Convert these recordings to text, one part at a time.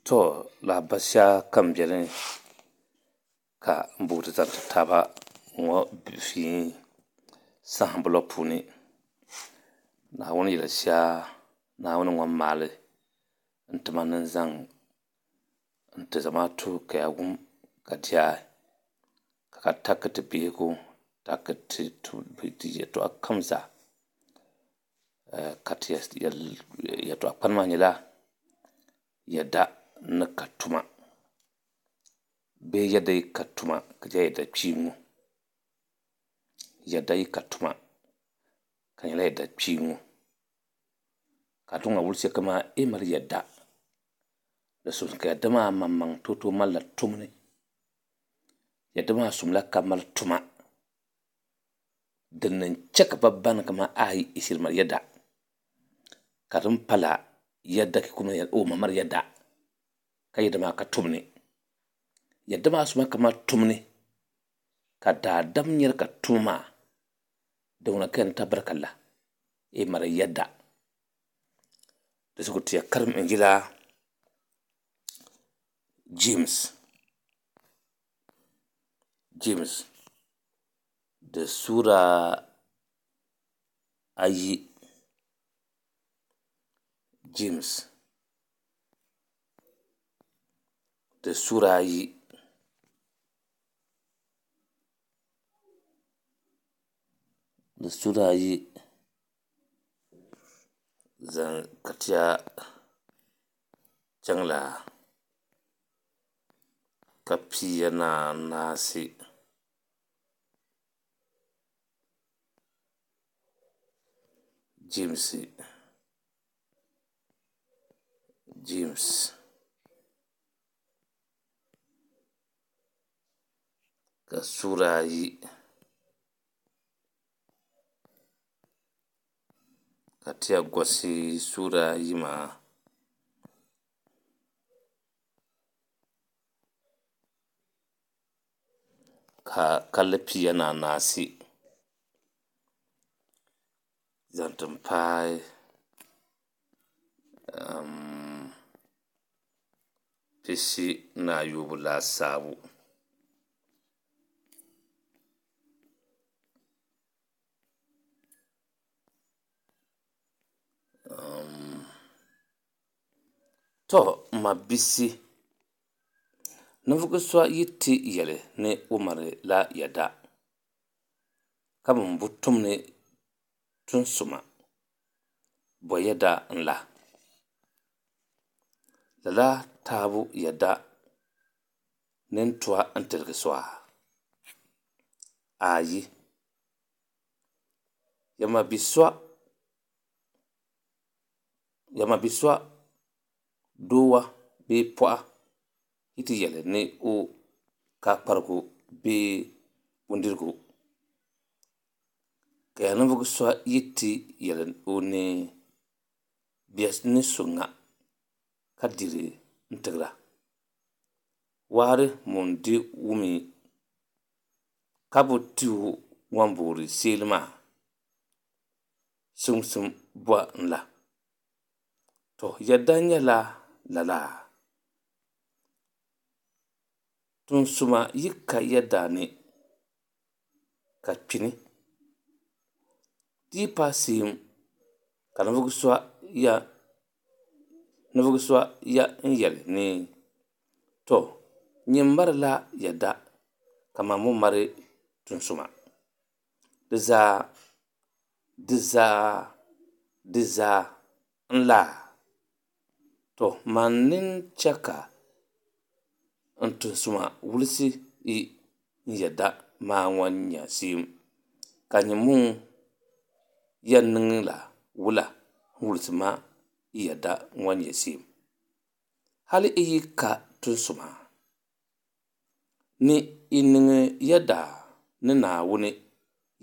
To lahabali shɛli kam biɛni ka n booti zaŋ ti taaba ŋɔ fii saɣambu la puuni Naawuni yili shɛa Naawuni ŋun maali n tima ni n zaŋ n ti zamaatu ka yaa wum ka diɛhi ka taki ti biɛhigu taki ti yɛltɔɣa kam zaa ka ti yɛltɔɣa kpani maa nyɛla yɛda ni ka tuma bee yɛda yi ka tuma di nyɛla yɛda kpiimba yɛda yi ka tuma ka di nyɛla yɛda kpiimba ka di ŋɔ wulisi kamani yi mali yɛda di simdi ka yɛda maa maŋmaŋ tooi tooi malila tumli yɛda maa sumla ka mali tuma din n chɛ ka bi baŋ ni kamani aai i shiri mali yɛda ka din pala yɛda o ma mali yɛda ka yɛda maa ka tumni yɛda maa suma ka mali tumni ka daadam nyɛri ka tuma maa din ŋuna ka yɛn tabarikala i mali yɛda di zuɣu ti yɛn karim injila James James di suura 2 James di suura 2. Di suura 2 zaŋ ka ti chaŋla ka piya ni anaasi Jemsi Jems ka suura 2 ka ti yaa gosi suura 2 maa ka kanli 14 zaŋ ti paai 45 laasabu. To n mabisi ninvuɣu so yi ti yɛli ni o malila yɛda ka mini bi tumdi tun suma, bo yɛda n la? Lala taabu yɛda nin tua n tiligi so aa? Aayi. Ya ma bi so doowa bee paɣa yi ti yɛli ni o ka kparigu bee bindirigu ka ya ninvuɣu so yi ti yɛli o ni bɛ ni su ŋa ka diri n tigira waari ŋun di wumi ka bi ti o ŋun boori seeli maa sumsim bɔ n la? To yɛda nyɛla lala? Tunsuma yi ka yɛda ni ka kpini di yi paai seem ka ninvuɣu so ya n yɛli ni to nyin marila yɛda ka man mii mali tunsuma di zaa di zaa di zaa n laa? To man nin chɛ ka n tunsuma wulisi yi n yɛda maa ŋɔ nya seem ka nyin mii yɛn niŋla wula n wulisi ma n yɛda ŋɔ nyɛ seem? Hali i yi ka tunsuma ni i niŋ yɛda ni Naawuni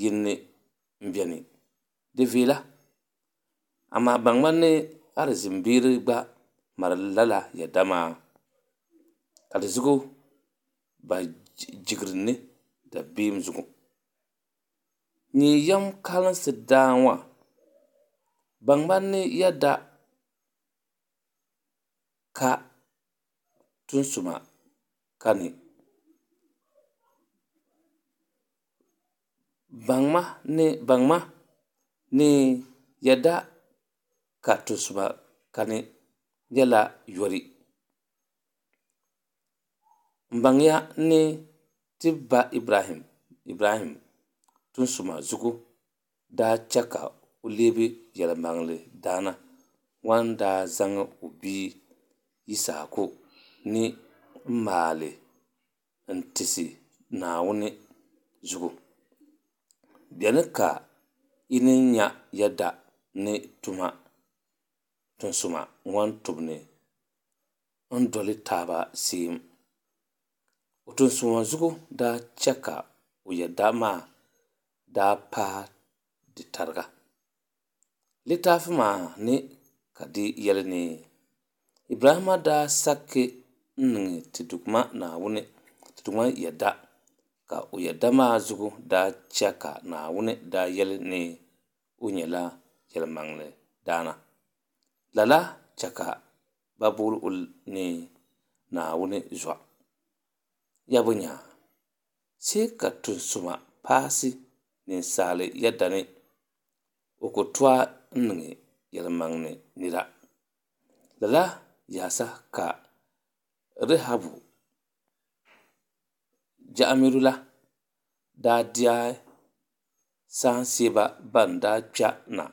yini n biɛni di viɛla amaa baŋmi ni alizin bieri gba mali lala yɛda maa ka di zuɣu ba jigiri ni dabiɛm zuɣu. Nyin yɛm kalinsi daa ŋɔ baŋmi ni yɛda ka. tunsuma kani. Baŋma ni yɛda ka tunsuma kani nyɛla yori. M baŋya ni ti ba Ibrahim tunsuma zugu daa che ka o lebi yelimaŋli dana ŋun daa zaŋ o bia Yisahaku ni m maali n tisi Naawuni zugu. Beni ka yi ni nya yɛda ni tunsuma ŋɔ tumbu ni doli taba seem. O tunsuma zugu daa che ka o yɛda maa daa paai di tariga. Litaafi maa ni ka di yeli ni, Ibrahimma daa sakki n-niŋ ti Duuma Naawuni yɛda, ka o yɛda maa zugu daa che ka Naawuni daa yeli ni o nyela yelimaŋli dana. Lala che ka bɛ booni o ni Naawuni zɔ. Yabunyaa, see ka tunsuma paasi ninsal yɛda ni, o ku tooi n-niŋ yelimaŋli nira. Lala yaasa ka Rehabu jaɣamiru la daa deei saanseeba ban daa kpe na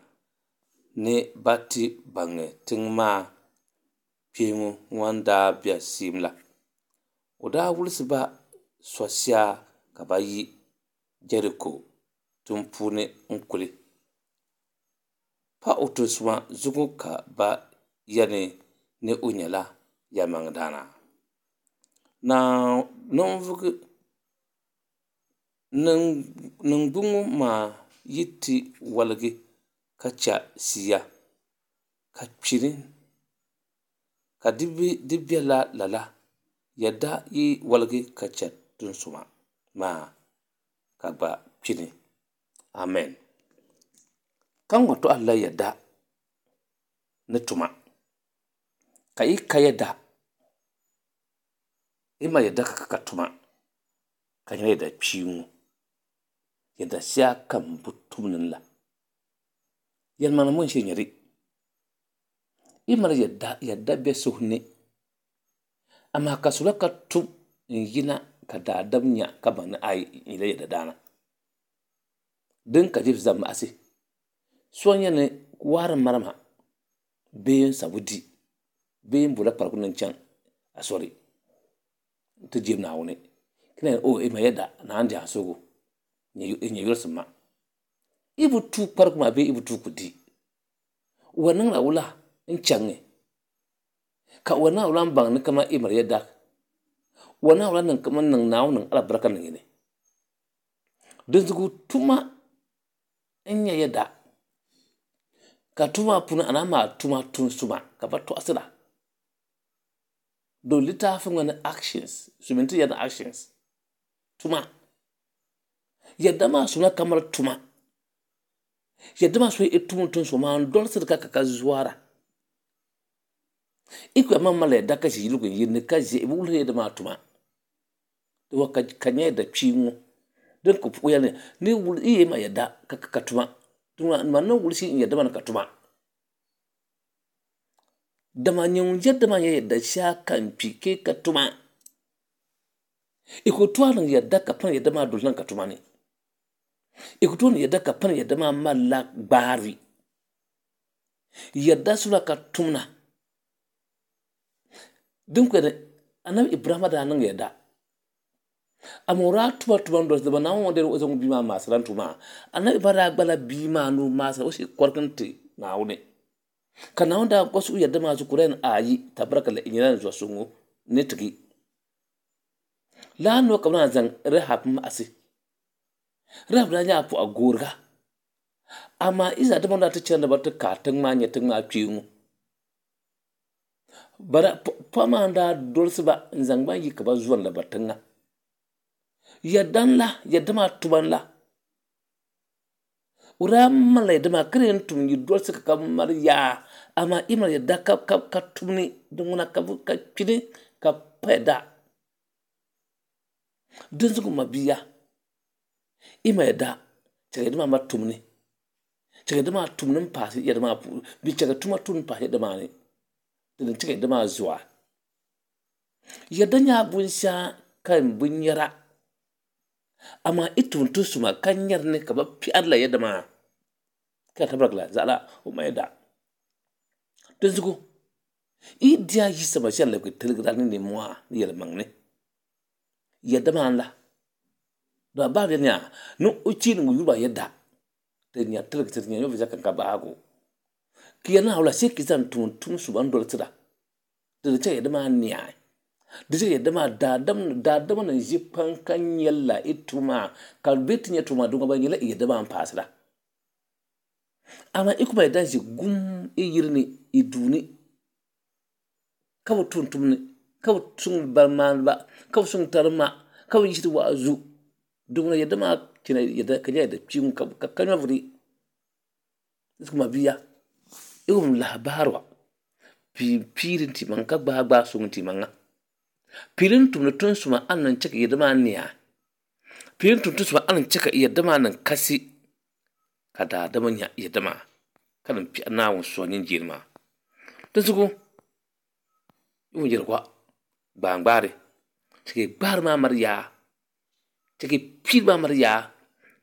ni ba ti baŋi tiŋ maa kpeeŋu ŋɔ daa be seem la. O daa wulisi ba so shia ka ba yi Jeriko tiŋpuuni n-kuli. Pa o tunsuma zugu ka ba yeli ni o nyela yelimaŋlidana. Ningbuŋ maa yi ti woligi ka che shia, ka kpini, ka di bela lala, yɛda yi woligi ka che tunsuma maa, ka gba kpini. Amen. Ka ŋɔ tɔhirila yɛda ni tuma. Ka yi ka yɛda, yi mali yɛda ka ka tuma, ka nyɛla yɛda kpii ŋɔ. Yɛda shia kam bi tumdi la. Yɛlimaŋli mɔ n-shiri nyɛ di. Yi mali yɛda, yɛda be suhu ni, amaa ka sula ka tum n-yina ka daadam nya ka baŋ ni ai, n nyɛla yɛda daana. Din ka Jeemsi zaŋ maɣisi so n-yɛn ni waari m marima bee n sabu di bee n bola kparigu ni n chaŋ asori nti jem Naawuni. Ka na yɛli, o, ma yɛda, Naawuni di a suhigu, n nyɛ yurisim ma. Yi bi tuui kparigu maa bee yi bi tuui ku di, o yɛn niŋla wula n-chaŋ ka o yɛn niŋla wula m-baŋ ni kaman yi mali yɛda? O yɛn niŋla wula niŋ kaman niŋ Naawuni niŋ alibarika niŋ yi ni? Dinzuɣu tuma n-nyɛ yɛda, ka tuma maa puuni a naan maai tuma tun suma ka ba tɔɣisira. Don litaafi ŋɔ ni actions, silimiinsi ti yɛri ni actions, tuma. Yɛda maa suna ka mali tuma. Yɛda maa suna i tum tun suma maa n-dolisiri ka ka ka zuara. I ku yɛli maŋ mali yɛda ka ʒi yiligu n-yiri ni ka ʒe i bi wuhiri yɛda maa tuma. Di wa ka nya yɛda kpii ŋɔ din ku o yɛli ni yi yɛn ma yɛda ka ka tuma man ni wulisi n yɛda maa ni ka tuma. Dama nyɛ ŋun yɛda maa nyɛ yɛda shia ka n kpi ke ka tuma. I ku tooi niŋ yɛda ka pani yɛda maa doli niŋ ka tuma ni. I ku tooi niŋ yɛda ka pani yɛda maa malila gbaari. Yɛda sula ka tumna. Din ku yɛli Anabi Ibrahima daa niŋ yɛda. Amaa o daa tuma tuma n-dolisi dama Naawuni ŋɔ dee o zaŋ o bia maa maasira n-tu maa. Anabi Ibrahima daa gbala bia maa ni o maasira o shee kɔrigi n-ti Naawuni. Ka Naawuni daa gɔsi o yɛda maa zuɣu ka o daa yɛli ayi tabarakala i nyɛla n zuɣu so ŋɔ ni tigi. Lala noo ka bɛ naan zaŋ Rehab maɣisi. Rehab daa nyɛla pɔɣu gooriga. Amaa Izraɛl dama daa ti chani ni bɛ ti kaai tiŋ maa nya tiŋ maa kpeeŋu. Pɔɣu maa n-daa dolisi ba n-zaŋ ba yi ka ba zɔri la ba tiŋa. Yɛda n-la, yɛda maa tuma n-la. O daa malila yɛda maa ka di yɛn tum yi dolsi ka ka mali yaa, amaa yi mali yɛda ka ka ka tumni din ŋuna ka ka kpini ka pa yɛda. Dinzuɣu m mabia, yi mali yɛda, chɛ ka yɛda maa mali tumni, chɛ ka yɛda maa tumni m-paasi yɛda maa puuni, bee chɛ ka tuma tumni paasi yɛda maa ni, din ni chɛ ka yɛda maa zoa. Yɛda nyɛla binshɛɣu ka di bi nyara, amaa yi tum tunsuma ka nyari ni ka bɛ piɛrila yɛda maa, ka tabarigila zaɣila o mali yɛda. Dinzuɣu yi di a Yisa Masia ni labigi tiligira ni nimmohi ni yɛlimaŋli, yɛda maa n-la. Dama Baabuli yɛli yaa ni o chɛ ni ŋun yuri maa yɛda ti nya tiligi ti nya nyɛvili shɛli din ka bahigu. Ka yɛli ni wula shee ka yi zaŋ tum tum suma n-dolsira. Di ni chɛ ka yɛda maa neei. Di chɛ ka yɛda maa daadam daadama ni ʒi kpaŋ ka nyɛla yi tuma maa ka bɛ ti nya tuma maa di ŋɔ ba nyɛla yɛda maa m-paasira. Amaa yi ku mali yɛda n-ʒi gum yi yiri ni yi duu ni ka bi tum tumdi ka bi suŋ barimaaniba ka bi suŋ tarima ka bi yiɣisiri waazu di ŋuna yɛda maa chɛla yɛda ka nyɛla yɛda kpiɔŋ ka ka nyɛvuli. N mabia yi wum lahabali ŋɔ piipiiri n-ti maŋ ka gbaai gbaai suŋ n-ti maŋa. Piiri n-tumdi tunsuma a ni chɛ ka yɛda maa nia. Piiri n-tumdi tunsuma a ni chɛ ka yɛda maa niŋ kasi ka daadama nya yɛda maa ka niŋ piɛri Naawuni suhu mini jilima. Dinzuɣu yi wum yɛligu gbaangbaari chɛ ka yi gbaari maa mali yaa, chɛ ka yi piiri maa mali yaa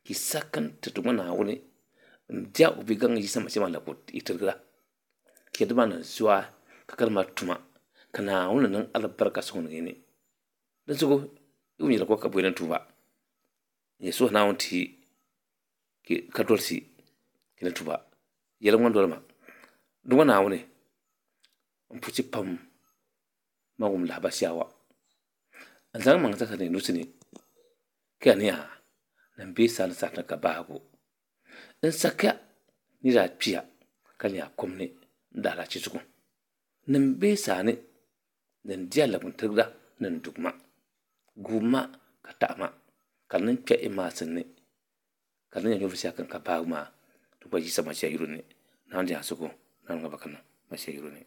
ka yi sa ka n-ti Duuma Naawuni n-diɛh o Bigaŋ Yisa Masia maa la ka o tirigira. Ka yɛda maa niŋ zuwa ka ka di mali tuma ka Naawuni ni niŋ alibarika sɔŋ ni ni. Dinzuɣu yi wum yɛligu ka bɔi ni tuuba n yɛn suhi Naawuni ti ka dolisi ni tuuba. Yɛli ŋɔ doli ma, Duuma Naawuni, n puchi pam man wum lahabali shɛli ŋɔ. N zaŋ maŋ zaŋ ni nusi ni ka yɛli ni yaa ni m be sani saha din ka bahigu. N sakiya ni daa kpiya ka nyɛ a kum ni n daalahichi zuɣu ni m be sani ni n di a labintirigira ni n dugi ma. Guui ma ka taɣi ma ka n niŋ kpe i maasim ni ka di ni nyɛ nyɛvuli shɛli din ka bahigu maa ti gba Yisa Masia yuli ni. Naawuni di a sugu, Naawuni ŋɔ ba ka niŋ Masia yuli ni.